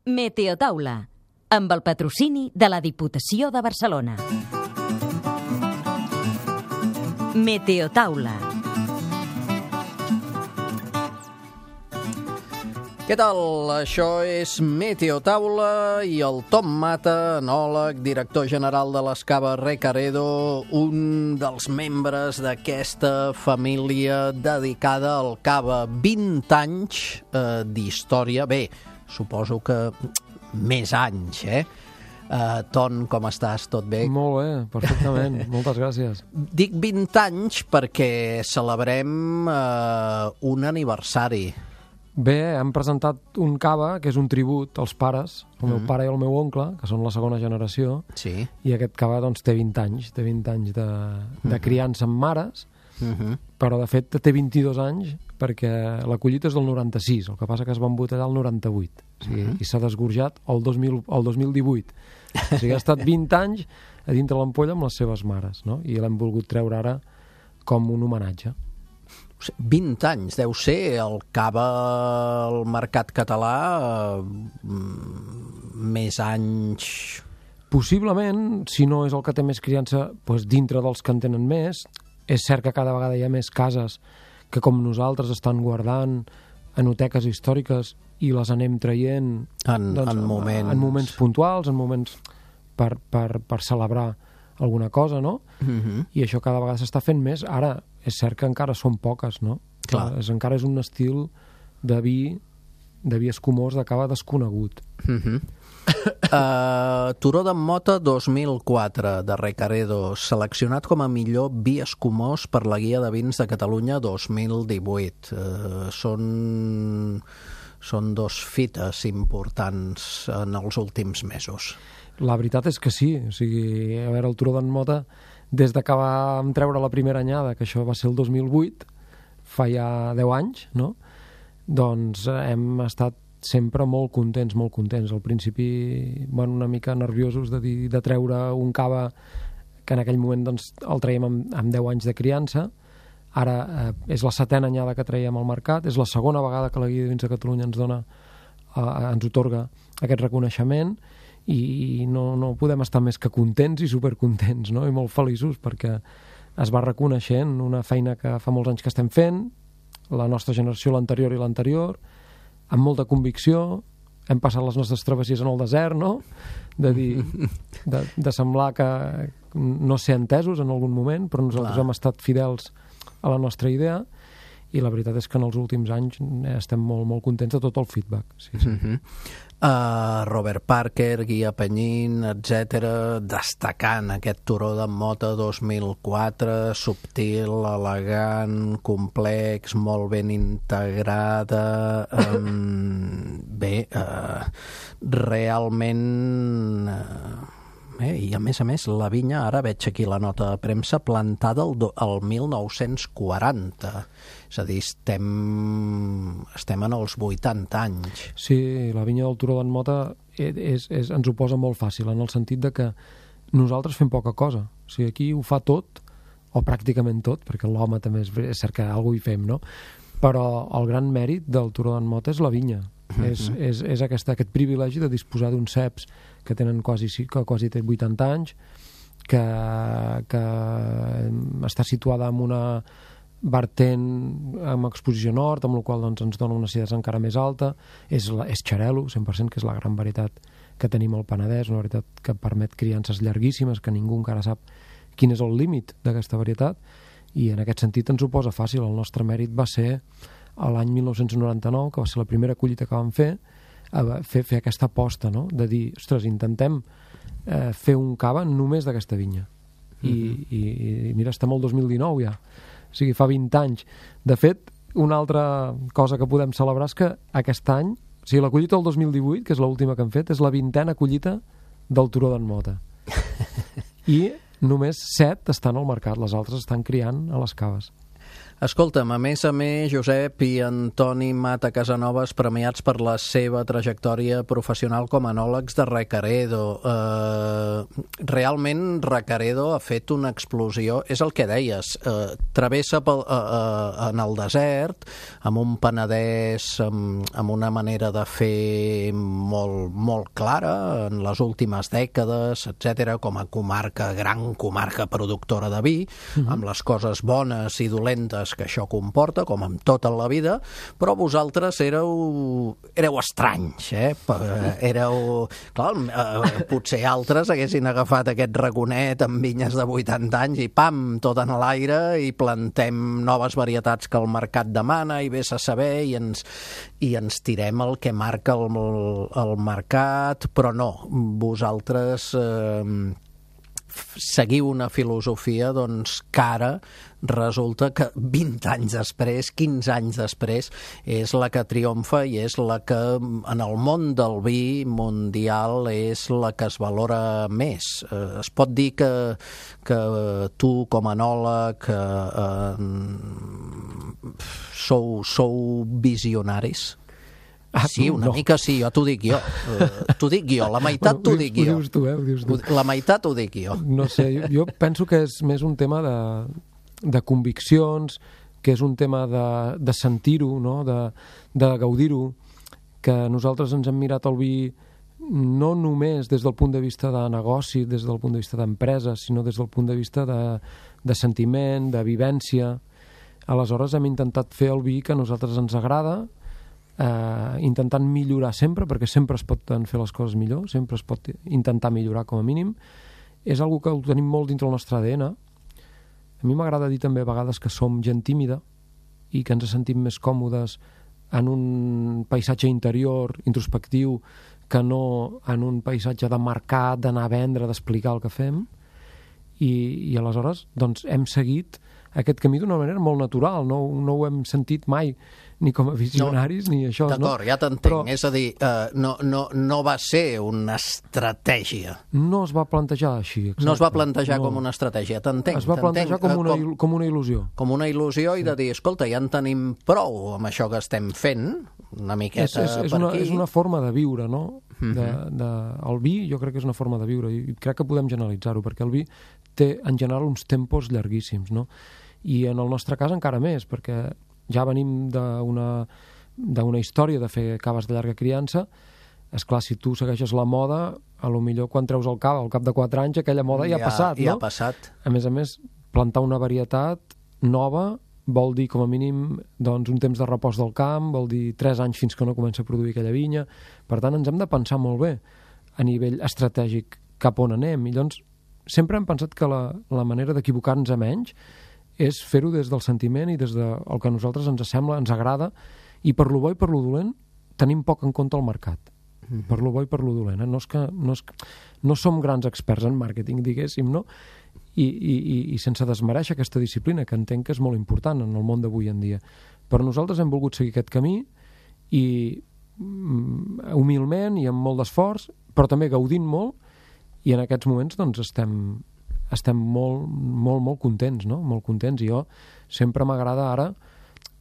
Meteotaula, amb el patrocini de la Diputació de Barcelona. Meteotaula. Què tal? Això és Meteotaula i el Tom Mata, enòleg, director general de l'Escava Recaredo, un dels membres d'aquesta família dedicada al cava. 20 anys d'història. Bé, suposo que més anys, Ton, com estàs? Tot bé? Molt bé, perfectament. Moltes gràcies. Dic 20 anys perquè celebrem un aniversari. Bé, hem presentat un cava, que és un tribut als pares, el meu pare i el meu oncle, que són la segona generació, Sí. i aquest cava doncs, té 20 anys, té 20 anys de criança amb mares, però de fet té 22 anys perquè la collita és del 96, el que passa que es va embotellar el 98, o sigui, i s'ha desgorjat el 2018. O sigui, ha estat 20 anys a dintre l'ampolla amb les seves mares, no? I l'hem volgut treure ara com un homenatge. 20 anys, deu ser el cava al mercat català més anys... Possiblement, si no és el que té més criança, doncs dintre dels que en tenen més. És cert que cada vegada hi ha més cases que, com nosaltres, estan guardant enoteques històriques i les anem traient En moments puntuals, en moments per celebrar alguna cosa, no? I això cada vegada s'està fent més. Ara, és cert que encara són poques, no? Clar. Encara és un estil de vi escumós de cava desconegut. Turó d'en Mota 2004 de Recaredo, seleccionat com a millor vi escumós per la Guia de Vins de Catalunya 2018. Són dos fites importants en els últims mesos. La veritat és que sí. O sigui, a veure, el Turó d'en Mota, des que vam treure la primera anyada, que això va ser el 2008, fa ja 10 anys, no? Doncs hem estat sempre molt contents. Al principi, bueno, una mica nerviosos de treure un cava que en aquell moment doncs, el traiem amb 10 anys de criança. Ara és la 7a anyada que traiem al mercat, és la segona vegada que la Guia de Vins de Catalunya ens otorga aquest reconeixement, i no podem estar més que contents i supercontents, no? I molt feliços perquè es va reconeixent una feina que fa molts anys que estem fent, la nostra generació, l'anterior i l'anterior, amb molta convicció. Hem passat les nostres travessies en el desert, no? De semblar que no ser entesos en algun moment, però nosaltres hem estat fidels a la nostra idea, i la veritat és que en els últims anys estem molt, molt contents de tot el feedback. Sí. Robert Parker, Guia Penyín, etc., destacant aquest Turó d'en Mota 2004, subtil, elegant, complex, molt ben integrada. Realment... I a més, la vinya, ara veig aquí la nota de premsa, plantada el 1940. És a dir, estem en els 80 anys. Sí, la vinya del Turó d'en Mota ens ho posa molt fàcil, en el sentit de que nosaltres fem poca cosa. O sigui, aquí ho fa tot, o pràcticament tot, perquè l'home també és cert que alguna cosa hi fem, no? Però el gran mèrit del Turó d'en Mota és la vinya. És aquest privilegi de disposar d'uns ceps que tenen quasi 80 anys, que està situada en una vertent amb exposició nord, amb la qual doncs, ens dona una acidesa encara més alta. És xarel·lo, 100%, que és la gran varietat que tenim al Penedès, una varietat que permet criances llarguíssimes, que ningú encara sap quin és el límit d'aquesta varietat, i en aquest sentit ens ho posa fàcil. El nostre mèrit va ser l'any 1999, que va ser la primera collita que vam fer aquesta aposta, no? De dir, ostres, intentem fer un cava només d'aquesta vinya. I mira, estem al 2019 ja. O sigui, fa 20 anys. De fet, una altra cosa que podem celebrar és que aquest any, o sigui, la collita del 2018, que és l'última que hem fet, és la 20a collita del Turó d'en Mota. I només 7 estan al mercat, les altres estan criant a les caves. Escolta'm, a més, Josep i Antoni Mata Casanovas, premiats per la seva trajectòria professional com a enòlegs de Recaredo. Realment, Recaredo ha fet una explosió, és el que deies, travessa en el desert, amb un Penedès, amb una manera de fer molt clara en les últimes dècades, etc, com a comarca, gran comarca productora de vi, amb les coses bones i dolentes que això comporta, com amb tota la vida, però vosaltres éreu estranys, potser altres haguessin agafat aquest raconet amb vinyes de 80 anys i pam, tot en l'aire, i plantem noves varietats que el mercat demana i vés a saber, i ens tirem el que marca el mercat, però no, vosaltres seguiu una filosofia que ara resulta que 20 anys després, 15 anys després, és la que triomfa i és la que en el món del vi mundial és la que es valora més. Es pot dir que tu com a enòleg sou visionaris? Sí, una mica sí, jo t'ho dic jo. T'ho dic jo, la meitat t'ho dic jo. Ho dius tu, ho dius tu. La meitat ho dic jo. No sé, jo penso que és més un tema de conviccions, que és un tema de sentir-ho, no? De gaudir-ho, que nosaltres ens hem mirat el vi no només des del punt de vista de negoci, des del punt de vista d'empresa, sinó des del punt de vista de sentiment, de vivència. Aleshores hem intentat fer el vi que a nosaltres ens agrada, intentant millorar sempre, perquè sempre es poden fer les coses millor, sempre es pot intentar millorar com a mínim. És algo que ho tenim molt dintre el nostre ADN. A mi m'agrada dir també a vegades que som gent tímida i que ens sentim més còmodes en un paisatge interior, introspectiu, que no en un paisatge de mercat, d'anar a vendre, d'explicar el que fem. I aleshores doncs, hem seguit aquest camí d'una manera molt natural, no ho hem sentit mai ni com a visionaris, ni això. D'acord, ja t'entenc. Però, és a dir, no va ser una estratègia. No es va plantejar així. Exacte. No es va plantejar com una estratègia, t'entenc. Es va plantejar com una il·lusió. Com una il·lusió i de dir, escolta, ja en tenim prou amb això que estem fent, una miqueta per aquí. És una forma de viure, no? El vi jo crec que és una forma de viure i crec que podem generalitzar-ho, perquè el vi té en general uns tempos llarguíssims, no? I en el nostre cas encara més, perquè ja venim d'una història de fer caves de llarga criança. Esclar, si tu segueixes la moda, a lo millor quan treus el cava al cap de 4 anys aquella moda ja ha passat, no? Ja ha passat. A més, plantar una varietat nova vol dir, com a mínim, doncs, un temps de repòs del camp, vol dir 3 anys fins que no comença a produir aquella vinya. Per tant, ens hem de pensar molt bé a nivell estratègic cap on anem. I llavors, sempre hem pensat que la manera d'equivocar-nos a menys és fer-ho des del sentiment i des del que a nosaltres ens sembla, ens agrada, i per lo bo i per lo dolent tenim poc en compte el mercat. Per lo bo i per lo dolent. No som grans experts en màrqueting, diguéssim, no? I sense desmereixer aquesta disciplina, que entenc que és molt important en el món d'avui en dia. Però nosaltres hem volgut seguir aquest camí i humilment i amb molt d'esforç, però també gaudint molt, i en aquests moments doncs estem molt contents, no? Molt contents. I jo sempre m'agrada ara,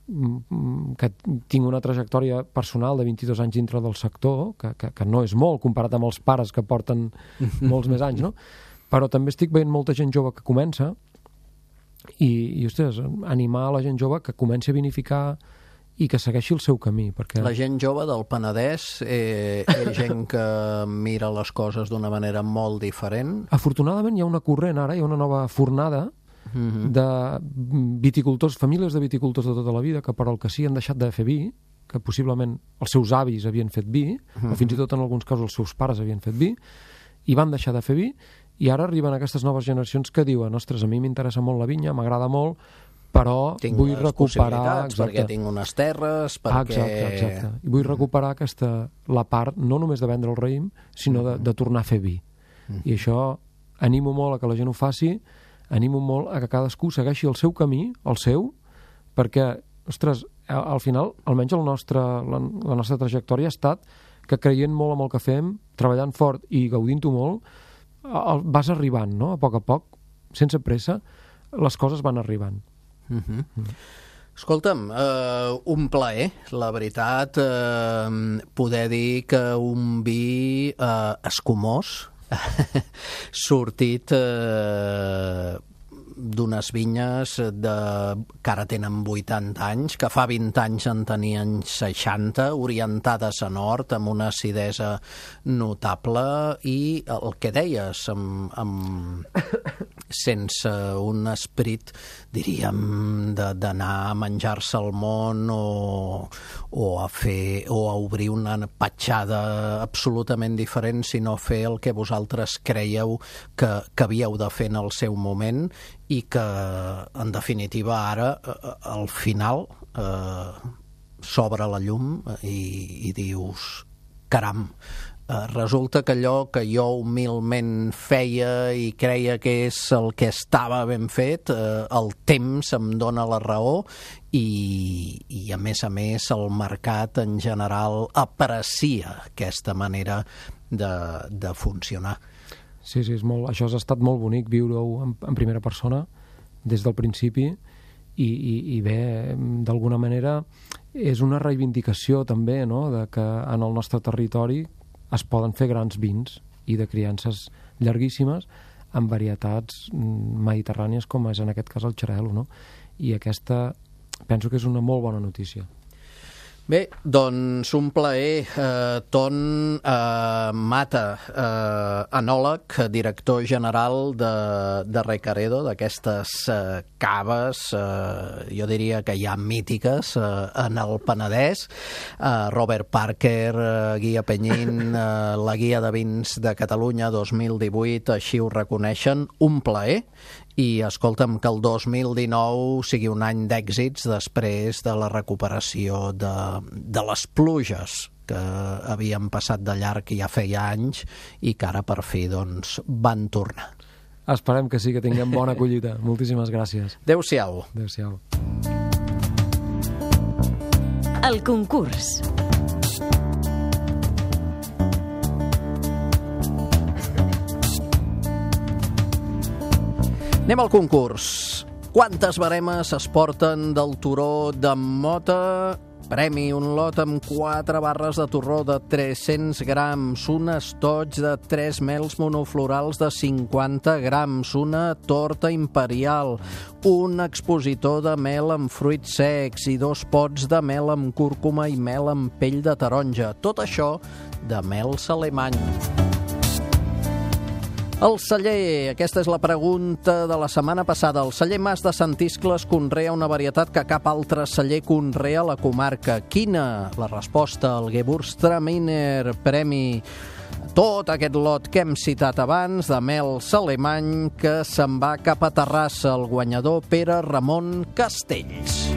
que tinc una trajectòria personal de 22 anys dintre del sector, que no és molt comparat amb els pares que porten molts més anys, no? Però també estic veient molta gent jove que comença i ostres, animar a la gent jove que comenci a vinificar i que segueixi el seu camí. Perquè la gent jove del Penedès és gent que mira les coses d'una manera molt diferent. Afortunadament hi ha una corrent ara, hi ha una nova fornada de viticultors, famílies de viticultors de tota la vida, que per al que sí han deixat de fer vi, que possiblement els seus avis havien fet vi, o fins i tot en alguns casos els seus pares havien fet vi, i van deixar de fer vi, i ara arriben aquestes noves generacions que diuen, ostres, a mi m'interessa molt la vinya, m'agrada molt, però vull recuperar... Perquè tinc unes terres, perquè... Exacte. I vull recuperar la part, no només de vendre el raïm, sinó de tornar a fer vi. I això animo molt a que la gent ho faci, animo molt a que cadascú segueixi el seu camí, el seu, perquè, ostres, al final, almenys la nostra trajectòria ha estat que creient molt en el que fem, treballant fort i gaudint-ho molt, vas arribant, no? A poc, sense pressa, les coses van arribant. Escolta'm, un plaer, la veritat, poder dir que un vi escumós, sortit d'unes vinyes que ara tenen 80 anys, que fa 20 anys en tenien 60, orientades a nord, amb una acidesa notable, i el que deies, sense un esperit, diríem, d'anar a menjar-se el món o a obrir una petjada absolutament diferent, sinó fer el que vosaltres creieu que havíeu de fer en el seu moment, i que, en definitiva, ara, al final, s'obre la llum i dius, caram, resulta que allò que jo humilment feia i creia que és el que estava ben fet, el temps em dona la raó i a més, el mercat en general aprecia aquesta manera de funcionar. Sí, això ha estat molt bonic, viure-ho en primera persona des del principi i bé, d'alguna manera és una reivindicació també, no?, de que en el nostre territori es poden fer grans vins i de criances llarguíssimes amb varietats mediterrànies, com és en aquest cas el xarel·lo, no? I aquesta penso que és una molt bona notícia. Bé, doncs un plaer. Ton Mata, enòleg, director general de Recaredo, d'aquestes caves, jo diria que ja mítiques en el Penedès. Robert Parker, Guia Penyín, la Guia de Vins de Catalunya 2018, així ho reconeixen. Un plaer. I escolta'm, que el 2019 sigui un any d'èxits després de la recuperació de les pluges que havien passat de llarg ja feia anys i que ara per fi van tornar. Esperem que sí, que tinguem bona collita. Moltíssimes gràcies. Adéu-siau. Adéu-siau. El concurs. Anem al concurs. Quantes baremes es porten del turó de Mota? Premi, un lot amb 4 barres de torró de 300 grams, un estoig de 3 mels monoflorals de 50 grams, una torta imperial, un expositor de mel amb fruits secs i 2 pots de mel amb cúrcuma i mel amb pell de taronja. Tot això de mels alemany. El celler, aquesta és la pregunta de la setmana passada. El celler Mas de Sant Iscles conrea una varietat que cap altre celler conrea a la comarca. Quina? La resposta, el Gewürztraminer, premi tot aquest lot que hem citat abans de mels alemany, que se'n va cap a Terrassa, el guanyador Pere Ramon Castells.